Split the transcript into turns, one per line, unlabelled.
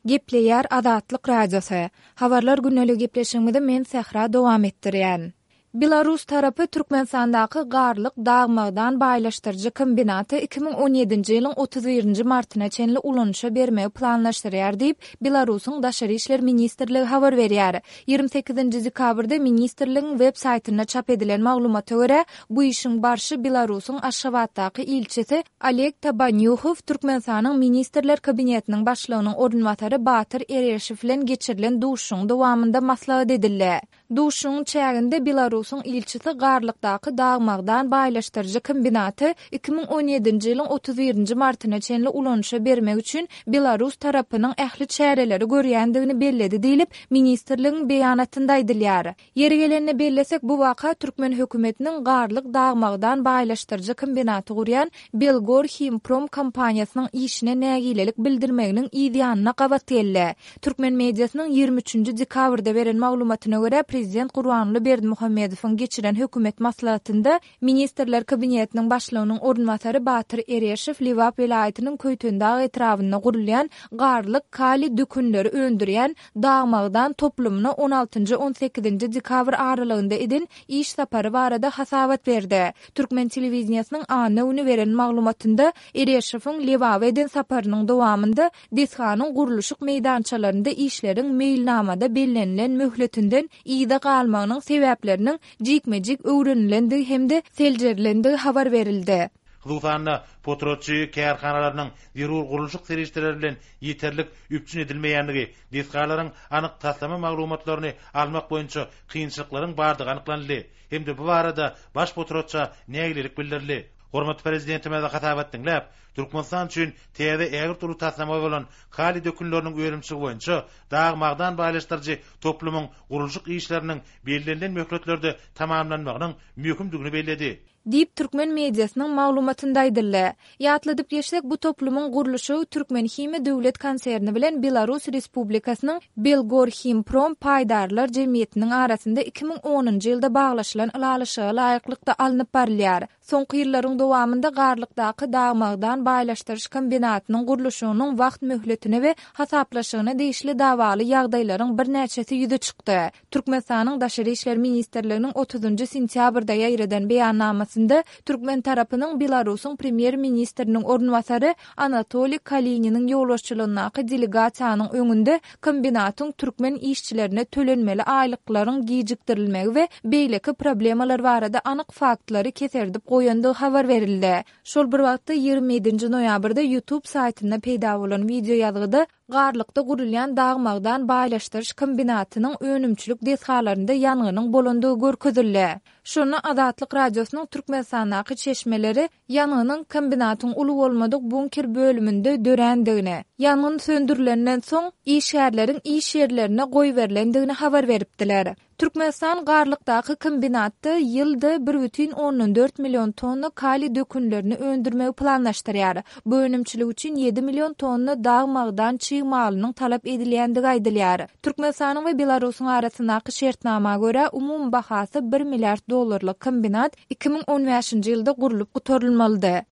Gepleýär Azatlyk Radiosy. Habarlar gündeligi gepleşigimizi men Sähra dowam etdirýän. Belarus tarapy Türkmenistandaky Garlyk dag-magdan baýlaşdyryjy kombinaty 2017-nji ýylyň 31-nji martyna çenli ulanyşa bermegi planlaşdyrýar diýip, Belarusyň Daşary işler ministrligi habar berýär. 28-nji dekabrda ministrligiň web saýtynda çap edilen maglumata görä, bu işiň barşy Belarusyň Aşgabatdaky ilçisi Oleg Tabanýuhow Türkmenistanyň Ministrler Kabinetiniň Başlygynyň orunbasary Batyr Ereşow bilen geçirilen duşuşygyň dowamynda maslahat edildi. Duşuşygyň çäginde Belarusyň ilçisi Garlykdaky dag-magdan baýlaşdyryjy kombinaty 2017-nji ýylyň 31-nji martyna çenli ulanyşa bermek üçin belarus tarapynyň ähli çäreleri görýändigini belledi diýlip, ministrligiň beýanatynda aýdylýar. Ýeri gelende bellesek, bu waka türkmen hökümetiniň Garlyk dag-magdan baýlaşdyryjy kombinaty gurýan Belgorhimprom kompaniýasynyň işine nägilelik bildirmeginiň yz ýanyna gabat geldi. Türkmen mediasynyň 23-nji dekabrda beren maglumatyna görä, prezident Gurbanguly Berdimuhamedowyň geçiren hökümet maslahatynda Ministrler Kabinetiniň Başlygynyň orunbasary Batyr Ereşow Lebap welaýatynyň Köýtendag etrabynda gurulýan Garlyk kaliý dökünleri öndürýän dag-magdan toplumyna on altynjy-on sekizinji dekabr aralygynda eden iş sapary barada hasabat berdi. Türkmen telewideniýesiniň anna güni beren maglumatynda Ereşowyň Lebaba eden saparynyň dowamynda desganyň gurluşyk meýdançalarynda işleriň meýilnamada bellenilen möhletinden yza galmagynyň sebäpleriniň jikme-jik öwrenilendigi hem-de seljerilendigi habar berildi.
Hususan-da, potratçy kärhanalarynyň zerur gurluşyk serişdeleri bilen ýeterlik üpjün edilmeýändigi, desgalaryň anyk taslama maglumatlaryny almak boýunça kynçylyklaryň bardygy anyklanyldy hem-de bu barada baş potratça nägilelik bildirildi. Hormatly Prezidentimiz hasabat diňläp, Türkmenistan üçin täze ägirt uly taslama bolan kaliý dökünleriniň önümçiligi boýunça dag-magdan baýlaşdyryjy toplumyň gurluşyk işleriniň bellenilen möhletlerde tamamlanmagynyň möhümdigini belledi.
Diýip, türkmen mediasynyň maglumatynda aýdyldy. Ýatladyp geçsek, bu toplumyň gurluşygy Türkmenhimiýa döwlet konserni bilen Belarus Respublikasynyň Belgorhimprom paýdarlar jemgyýetiniň arasynda 2010-njy ýylda baglaşylan ylalaşyga laýyklykda alnyp barylýar. Soňky ýyllaryň dowamynda Garlykdaky dag-magdan baýlaşdyryş kombinatynyň gurluşygynyň wagt möhletine we hasaplaşygyna degişli dawaly ýagdaýlaryň birnäçesi ýüze çykdy. Türkmenistanyň Daşary işler ministrliginiň otuzynjy sentýabrda ýaýradan beýannamasynda türkmen tarapynyň Belarusyň premýer-ministriniň orunbasary Anatoliý Kalininiň ýolbaşçylygyndaky delegasiýanyň öňünde kombinatyň türkmen işçilerine tölenmeli aýlyklaryň gijikdirilmegi we beýleki problemalar barada anyk faktlary keserdip goýandygy habar berildi. Şol bir wagtda, 27-nji noýabrda YouTube saýtynda peýda bolan wideoýazgyda Garlykda gurulýan dag-magdan baýlaşdyryş kombinatynyň önümçilik desgalarynda ýangynyň bolandygy görkezildi. Şonda Azatlyk Radiosynyň Türkmenistandaky çeşmeleri ýangynyň kombinatyň uly bolmadyk bunker bölüminde dörändigini, ýangyn söndürilenden soň, işgärleriň iş ýerlerine goýberilendigini habar beripdiler. Türkmenistan Garlykdaky kombinatda ýylda bir bütin ondan dört million tonna kaliý dökünlerini öndürmegi planlaşdyrýar. Bu önümçilik üçin ýedi million tonna dag-magdan çig malynyň talap edilýändigi aýdylýar. Türkmenistanyň we Belarusyň arasyndaky şertnama görä, umumy bahasy bir milliard dollarlyk kombinat 2015-nji ýylda gurlup gutarylmalydy.